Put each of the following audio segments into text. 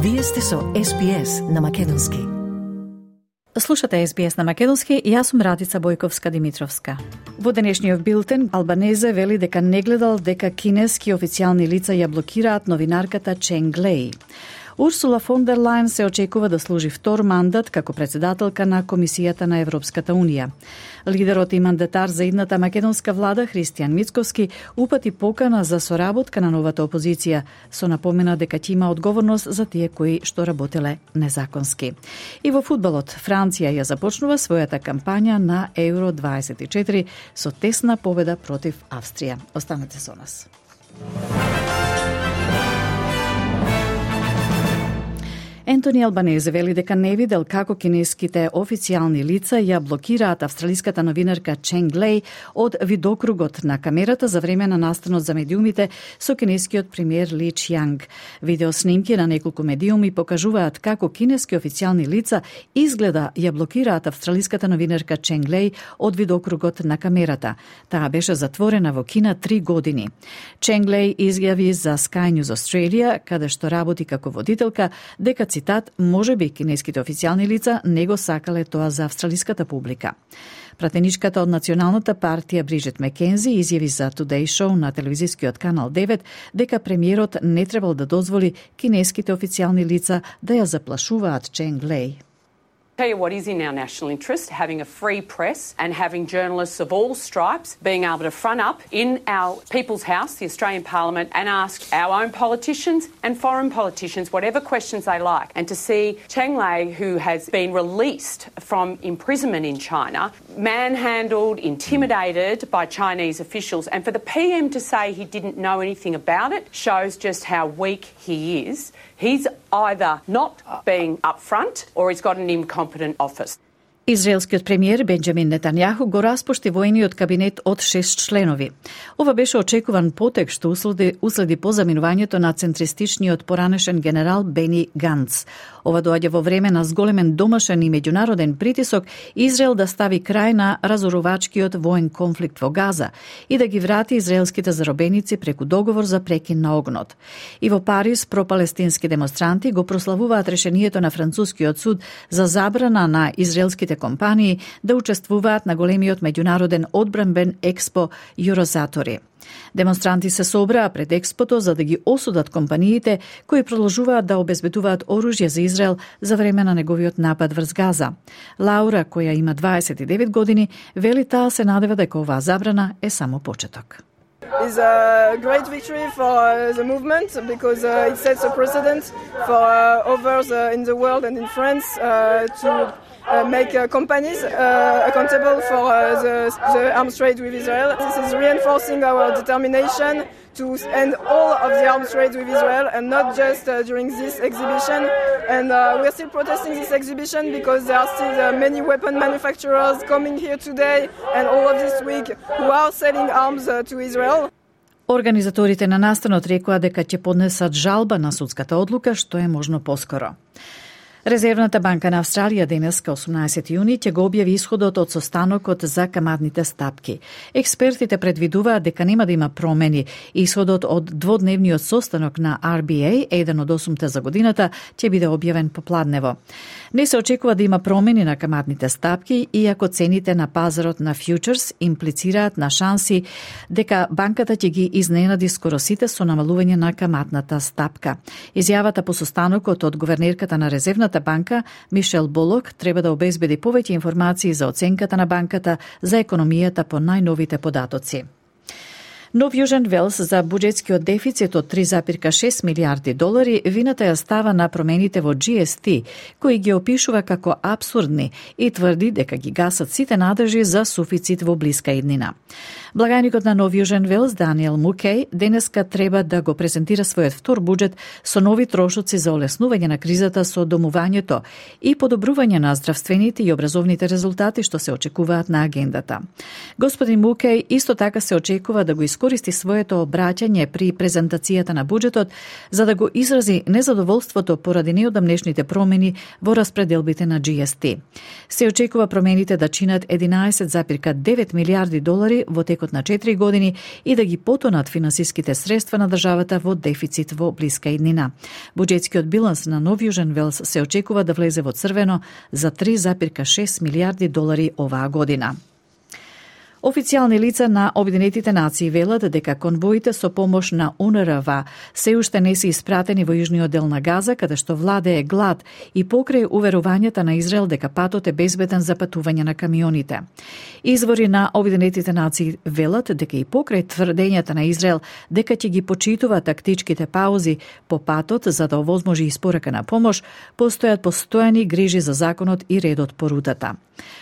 Вие сте со SBS на Македонски. Слушате SBS на Македонски и јас сум Радица Бојковска-Димитровска. Во денешниот билтен, Албанезе вели дека не гледал дека кинески официјални лица ја блокираат новинарката Ченг Леј. Урсула фон дер Лајен се очекува да служи втор мандат како председателка на Комисијата на Европската Унија. Лидерот и мандатар за идната македонска влада Христијан Мицковски упати покана за соработка на новата опозиција, со напомена дека ќе има одговорност за тие кои што работеле незаконски. И во фудбалот, Франција ја започнува својата кампања на Евро 24 со тесна победа против Австрија. Останете со нас. Ентони Албанезе вели дека не видел како кинеските официјални лица ја блокираат австралиската новинарка Ченг Леј од видокругот на камерата за време на настанот за медиумите со кинескиот премиер Ли Чјанг. Видеоснимки на неколку медиуми покажуваат како кинески официјални лица изгледа ја блокираат австралиската новинарка Ченг Леј од видокругот на камерата. Таа беше затворена во Кина 3 години. Ченг Леј изјави за Sky News Australia, каде што работи како водителка, дека цитат, може би кинеските официјални лица не го сакале тоа за австралиската публика. Пратеничката од Националната партија Бриджит Мекензи изјави за Today Show на телевизискиот канал 9 дека премиерот не требал да дозволи кинеските официјални лица да ја заплашуваат Ченг Леј. Tell you what is in our national interest, having a free press and having journalists of all stripes being able to front up in our People's House, the Australian Parliament, and ask our own politicians and foreign politicians whatever questions they like. And to see Cheng Lei, who has been released from imprisonment in China, manhandled, intimidated by Chinese officials, and for the PM to say he didn't know anything about it shows just how weak he is. He's either not being upfront or he's got an incompetent office. Израелскиот премиер Бенџамин Нетањаху го распушти воениот кабинет од 6 членови. Ова беше очекуван потек што уследи по заминувањето на центристичниот поранешен генерал Бени Ганц. Ова доаѓа во време на зголемен домашен и меѓународен притисок Израел да стави крај на разорувачкиот воен конфликт во Газа и да ги врати израелските заробеници преку договор за прекин на огнот. И во Париз пропалестински демонстранти го прославуваат решението на францускиот суд за забрана на израелските компании да учествуваат на големиот меѓународен одбранбен експо Юрозатори. Демонстранти се собраа пред експото за да ги осудат компаниите кои продолжуваат да обезбедуваат оружје за Израел за време на неговиот напад врз Газа. Лаура, која има 29 години, вели таа се надева дека оваа забрана е само почеток. Is a great victory for the movement because it sets a precedent for others in the world and in France to make companies accountable for the arms trade with Israel. This is reinforcing our determination to end all of the arms trade with Israel and not just during this exhibition. And we're still protesting this exhibition because there are still many weapon manufacturers coming here today and all of this week who are selling arms to Israel. Организаторите на настанот рекоа дека ќе поднесат жалба на судската одлука што е можно поскоро. Резервната банка на Австралија денеска 18 јуни ќе го објави исходот од состанокот за каматните стапки. Експертите предвидуваат дека нема да има промени. Исходот од дводневниот состанок на RBA, еден од 8 за годината, ќе биде објавен попладнево. Не се очекува да има промени на каматните стапки, иако цените на пазарот на фьючерс имплицираат на шанси дека банката ќе ги изненади скоро сите со намалување на каматната стапка. Изјавата по состанокот од гувернерката на Резервната банка Мишел Болок треба да обезбеди повеќе информации за оценката на банката за економијата по најновите податоци. Нов Јужен Велс за буџетскиот дефицит од 3,6 милиарди долари вината ја става на промените во GST, кои ги опишува како абсурдни и тврди дека ги гасат сите надежи за суфицит во блиска иднина. Благајникот на Нов Јужен Велс, Даниел Мукеј, денеска треба да го презентира својот втор буџет со нови трошоци за олеснување на кризата со домувањето и подобрување на здравствените и образовните резултати што се очекуваат на агендата. Господин Мукеј исто така се очекува да го искористи искористи своето обраќање при презентацијата на буџетот за да го изрази незадоволството поради неодамнешните промени во распределбите на GST. Се очекува промените да чинат 11,9 милиарди долари во текот на 4 години и да ги потонат финансиските средства на државата во дефицит во блиска иднина. Буџетскиот биланс на Нов Јужен Велс се очекува да влезе во црвено за 3,6 милиарди долари оваа година. Официјални лица на Обединетите нации велат дека конвоите со помош на УНРВА се уште не се испратени во јужниот дел на Газа, каде што владее глад и покрај уверувањата на Израел дека патот е безбеден за патување на камионите. Извори на Обединетите нации велат дека и покрај тврдењата на Израел дека ќе ги почитува тактичките паузи по патот за да овозможи испорака на помош, постојат постојани грижи за законот и редот по рутата.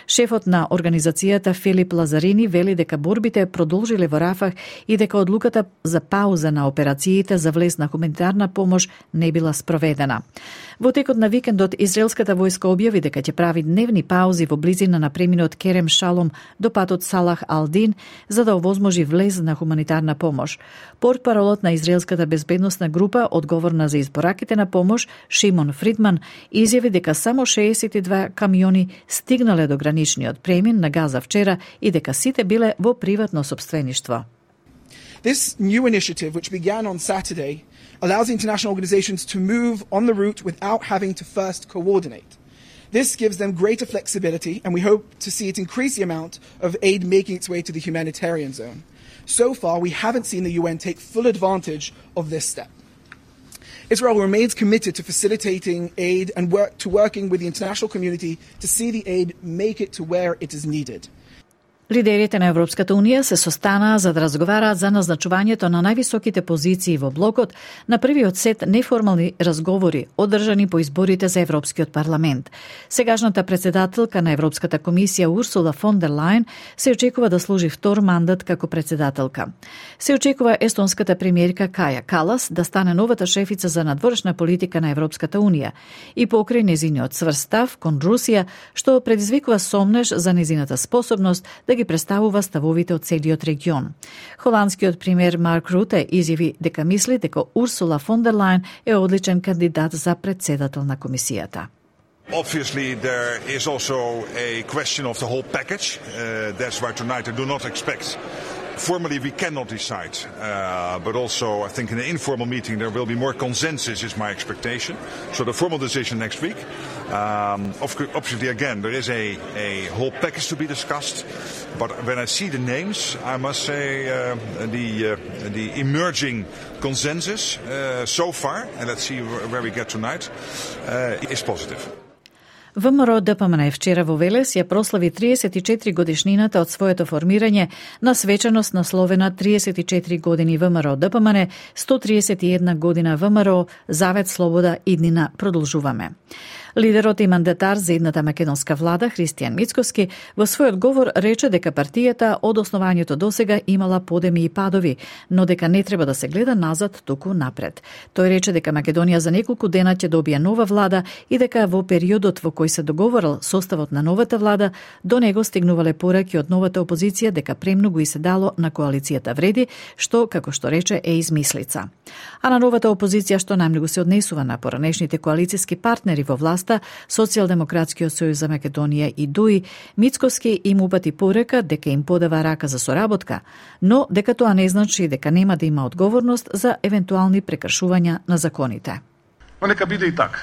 Шефот на организацијата Филип Лазарини вели дека борбите продолжиле во Рафах и дека одлуката за пауза на операциите за влез на хуманитарна помош не била спроведена. Во текот на викендот израелската војска објави дека ќе прави дневни паузи во близина на преминот Керем Шалом до патот Салах Алдин за да овозможи влез на хуманитарна помош. Портпаролот на израелската безбедносна група одговорна за избораките на помош Шимон Фридман изјави дека само 62 камиони стигнале до граничниот премин на Газа вчера и дека сите биле во приватно сопствеништво. This new initiative, which began on Saturday, allows international organizations to move on the route without having to first coordinate. This gives them greater flexibility, and we hope to see it increase the amount of aid making its way to the humanitarian zone. So far, we haven't seen the UN take full advantage of this step. Israel remains committed to facilitating aid and working with the international community to see the aid make it to where it is needed. Лидерите на Европската Унија се состанаа за да разговараат за назначувањето на највисоките позиции во блокот на првиот сет неформални разговори одржани по изборите за Европскиот парламент. Сегашната председателка на Европската комисија Урсула фон дер Лајен се очекува да служи втор мандат како председателка. Се очекува естонската премиерка Каја Калас да стане новата шефица за надворешна политика на Европската Унија и покрај незиниот цврст став кон Русија, што предизвикува сомнеж за незината способност да ги представува ставовите од целиот регион. Холандскиот премиер Марк Руте изјави дека мисли дека Урсула фон дер Лајен е одличен кандидат за председател на комисијата. Obviously, there is also a question of the whole package. That's why tonight I do not expect. Formally, we cannot decide, but also I think in an informal meeting there will be more consensus is my expectation. So the formal decision next week. Obviously, again, there is a whole package to be discussed, but when I see the names, I must say the emerging consensus so far, and let's see where we get tonight, is positive. ВМРО ДПМН вчера во Велес ја прослави 34 годишнината од своето формирање на свечаност насловена 34 години ВМРО ДПМН, 131 година ВМРО, Завет, Слобода, иднина продолжуваме. Лидерот и мандатар за едната македонска влада, Христијан Мицкоски, во својот говор рече дека партијата од основањето досега имала подеми и падови, но дека не треба да се гледа назад, туку напред. Тој рече дека Македонија за неколку дена ќе добие нова влада и дека во периодот во кој се договорил составот на новата влада, до него стигнувале пораки од новата опозиција дека премногу и се дало на коалицијата вреди, што, како што рече, е измислица. А на новата опозиција што најмногу се однесува на поранешните коалицијски партнери во власта, Социјалдемократскиот сојуз за Македонија и ДУИ, Мицкоски им упати порека дека им подава рака за соработка, но дека тоа не значи дека нема да има одговорност за евентуални прекршувања на законите. Но нека биде и така.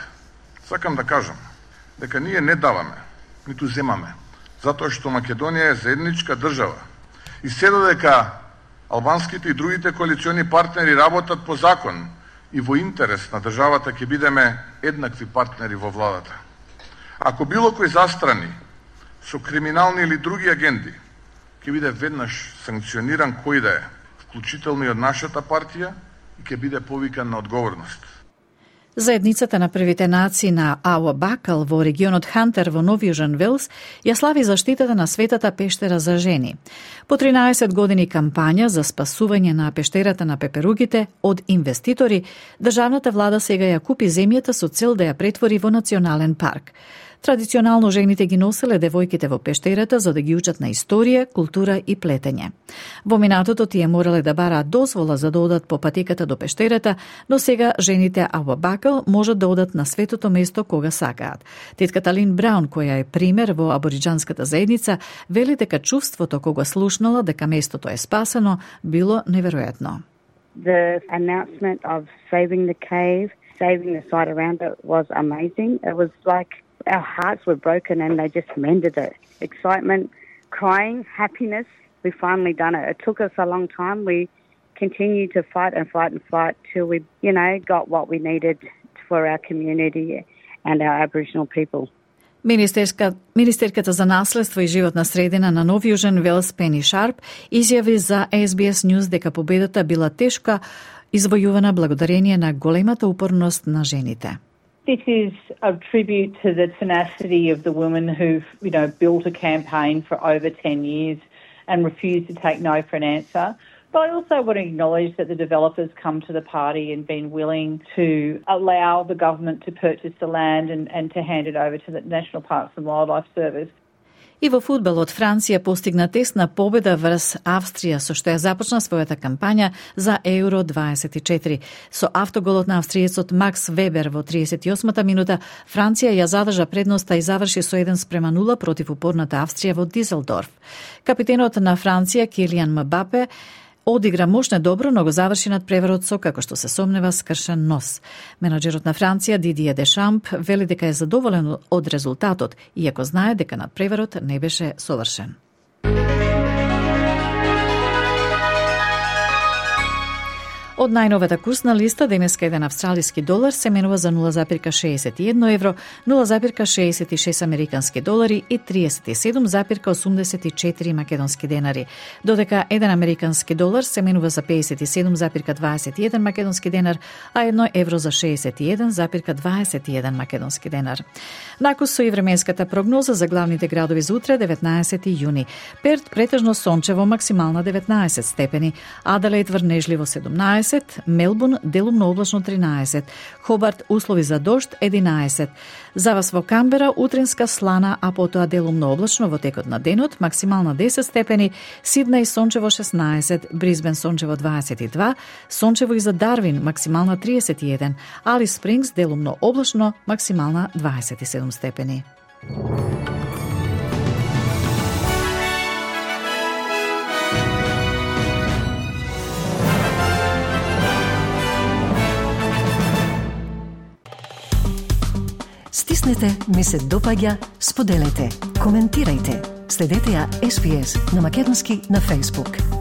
Сакам да кажам дека ние не даваме, ниту земаме, затоа што Македонија е заедничка држава. И се додека албанските и другите коалициони партнери работат по закон и во интерес на државата, ќе бидеме еднакви партнери во владата. Ако било кој застрани со криминални или други агенди, ќе биде веднаш санкциониран кој да е, вклучително и од нашата партија, и ќе биде повикан на одговорност. Заедницата на првите нации на Ауа Бакал во регионот Хантер во Нов Јужен Велс ја слави заштитата на светата пештера за жени. По 13 години кампања за спасување на пештерата на пеперугите од инвеститори, државната влада сега ја купи земјата со цел да ја претвори во национален парк. Традиционално жените ги носеле девојките во пештерата за да ги учат на историја, култура и плетење. Во минатото тие морале да бараат дозвола за да одат по патеката до пештерата, но сега жените Абу-Бакр можат да одат на светото место кога сакаат. Тетката Лин Браун, која е пример во абориџанската заедница, вели дека чувството кога слушнала дека местото е спасено било неверојатно. The announcement of saving the cave, saving the site around it was amazing. It was like our hearts were broken and they just mended it. Excitement, crying, happiness. We finally done it. It took us a long time. We continued to fight and fight and fight till we, got what we needed for our community and our Aboriginal people. Министерката за наследство и животна средина на Нов Јужен Велс Пени Шарп изјави за SBS News дека победата била тешка извојувана благодарение на големата упорност на жените. This is a tribute to the tenacity of the women who've, built a campaign for over 10 years and refused to take no for an answer. But I also want to acknowledge that the developers come to the party and been willing to allow the government to purchase the land and to hand it over to the National Parks and Wildlife Service. И во фудбалот Франција постигна тесна победа врз Австрија, со што ја започна својата кампања за Еуро 24. Со автоголот на австриецот Макс Вебер во 38-та минута, Франција ја задржа предноста и заврши со 1:0 против упорната Австрија во Дизелдорф. Капитенот на Франција Килијан Мбапе одигра мощно добро, но го заврши над преварот со, како што се сомнева, скршен нос. Менаџерот на Франција Дидие Дешамп вели дека е задоволен од резултатот, иако знае дека над преварот не беше совршен. Од најновата курсна листа, денеска еден австралиски долар се менува за 0,61 евро, 0,66 американски долари и 37,84 македонски денари, додека еден американски долар се менува за 57,21 македонски денар, а 1 евро за 61,21 македонски денар. Накус со и временската прогноза за главните градови за утре, 19 јуни. Перт претежно сончево, максимална 19 степени, Аделаид врнежливо 17, Мелбурн делумно облачно 13, Хобарт услови за дожд 11. За вас во Камбера утринска слана, а потоа делумно облачно во текот на денот, максимална 10 степени, Сиднеј сончево 16, Брисбен сончево 22, сончево и за Дарвин максимална 31, Алис Спрингс делумно облачно, максимална 27 степени. Стиснете, ми се допаѓа, споделете, коментирајте. Следете ја SBS на Македонски на Facebook.